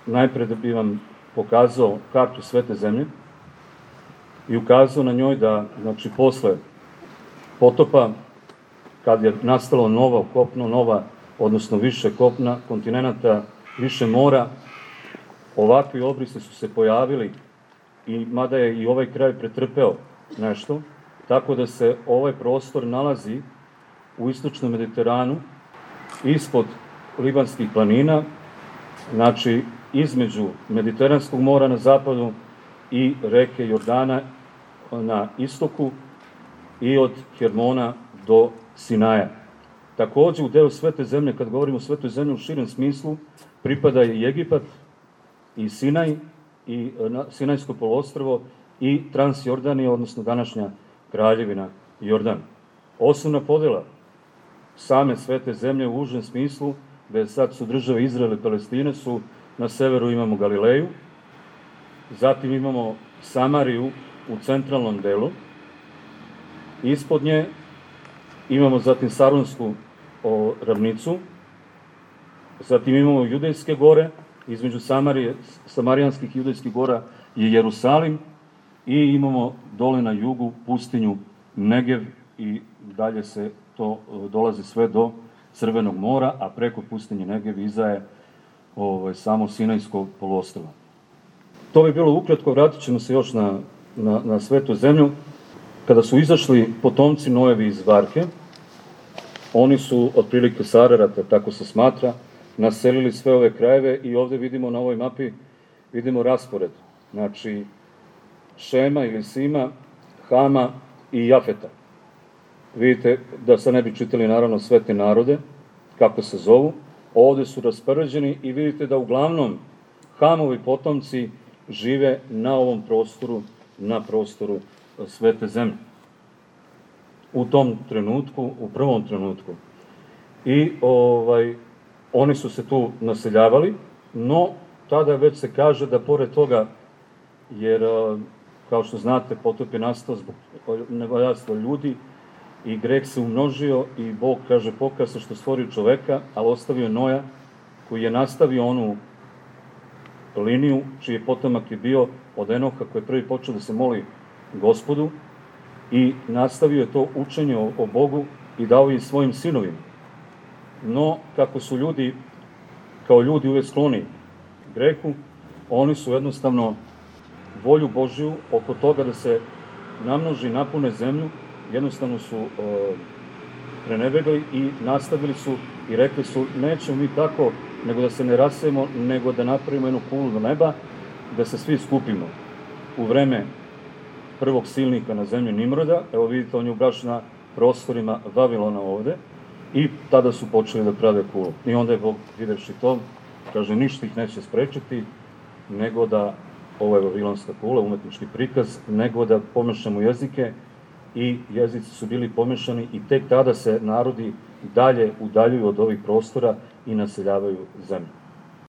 najpre da bi vam pokazao kartu Svete zemlje i ukazao na njoj da, znači, posle potopa, kad je nastalo novo kopno, odnosno više kopna, kontinenta, više mora, ovakvi obrisi su se pojavili, i mada je i ovaj kraj pretrpeo nešto, tako da se ovaj prostor nalazi u istočnom Mediteranu, ispod Libanskih planina, znači između Mediteranskog mora na zapadu i reke Jordana na istoku i od Hermona do Sinaja. Takođe, u deo Svete zemlje, kad govorimo o Svetoj zemlji u širem smislu, pripada i Egipat, i Sinaj, i Sinajsko poluostrvo, i Transjordanija, odnosno današnja Kraljevina Jordan. Osnovna podela same Svete zemlje u užem smislu, gde sad su države Izrael i Palestine, su na severu imamo Galileju, zatim imamo Samariju u centralnom delu, ispod nje imamo zatim Saronsku ravnicu, zatim imamo Judejske gore, između Samarijanskih i Judejskih gora je Jerusalim, i imamo dole na jugu pustinju Negev, i dalje se to dolazi sve do Crvenog mora, a preko pustinje Negev izaje samo Sinajsko poluostrvo. To bi bilo ukratko, vratit ćemo se još na Svetu zemlju. Kada su izašli potomci Noevi iz Varke, oni su otprilike sa Ararata, tako se smatra, naselili sve ove krajeve, i ovde vidimo na ovoj mapi, vidimo raspored, znači Šema ili Sima, Hama i Jafeta. Vidite da sad ne bi čitali naravno sve te narode, kako se zovu, ovde su raspoređeni, i vidite da uglavnom Hamovi potomci žive na ovom prostoru, na prostoru Svete zemlje. U tom trenutku, u prvom trenutku. I oni su se tu naseljavali, no tada već se kaže da pored toga, jer kao što znate, potop je nastao zbog nevaljadstva ljudi i greh se umnožio, i Bog kaže pokaja se što stvorio čoveka, ali ostavio Noja koji je nastavio onu liniju čiji potomak je bio od Enoha, koji je prvi počeo da se moli Gospodu, i nastavio je to učenje o Bogu i dao je svojim sinovima. No, kako su ljudi, kao ljudi uvek skloni grehu, oni su jednostavno volju Božiju oko toga da se namnoži, napune zemlju, jednostavno su prenebegali i nastavili su i rekli su: nećemo mi tako, nego da se ne rasejemo, nego da napravimo jednu kulu do neba, da se svi skupimo. U vreme prvog silnika na zemlji Nimroda, evo vidite, on je baš na prostorima Vavilona ovde, i tada su počeli da prave kulu. I onda je Bog, videvši to, kaže, ništa ih neće sprečiti, nego da, ovo je vavilonska kula, umetnički prikaz, nego da pomešamo jezike, i jezici su bili pomešani, i tek tada se narodi dalje udaljuju od ovih prostora i naseljavaju zemlju.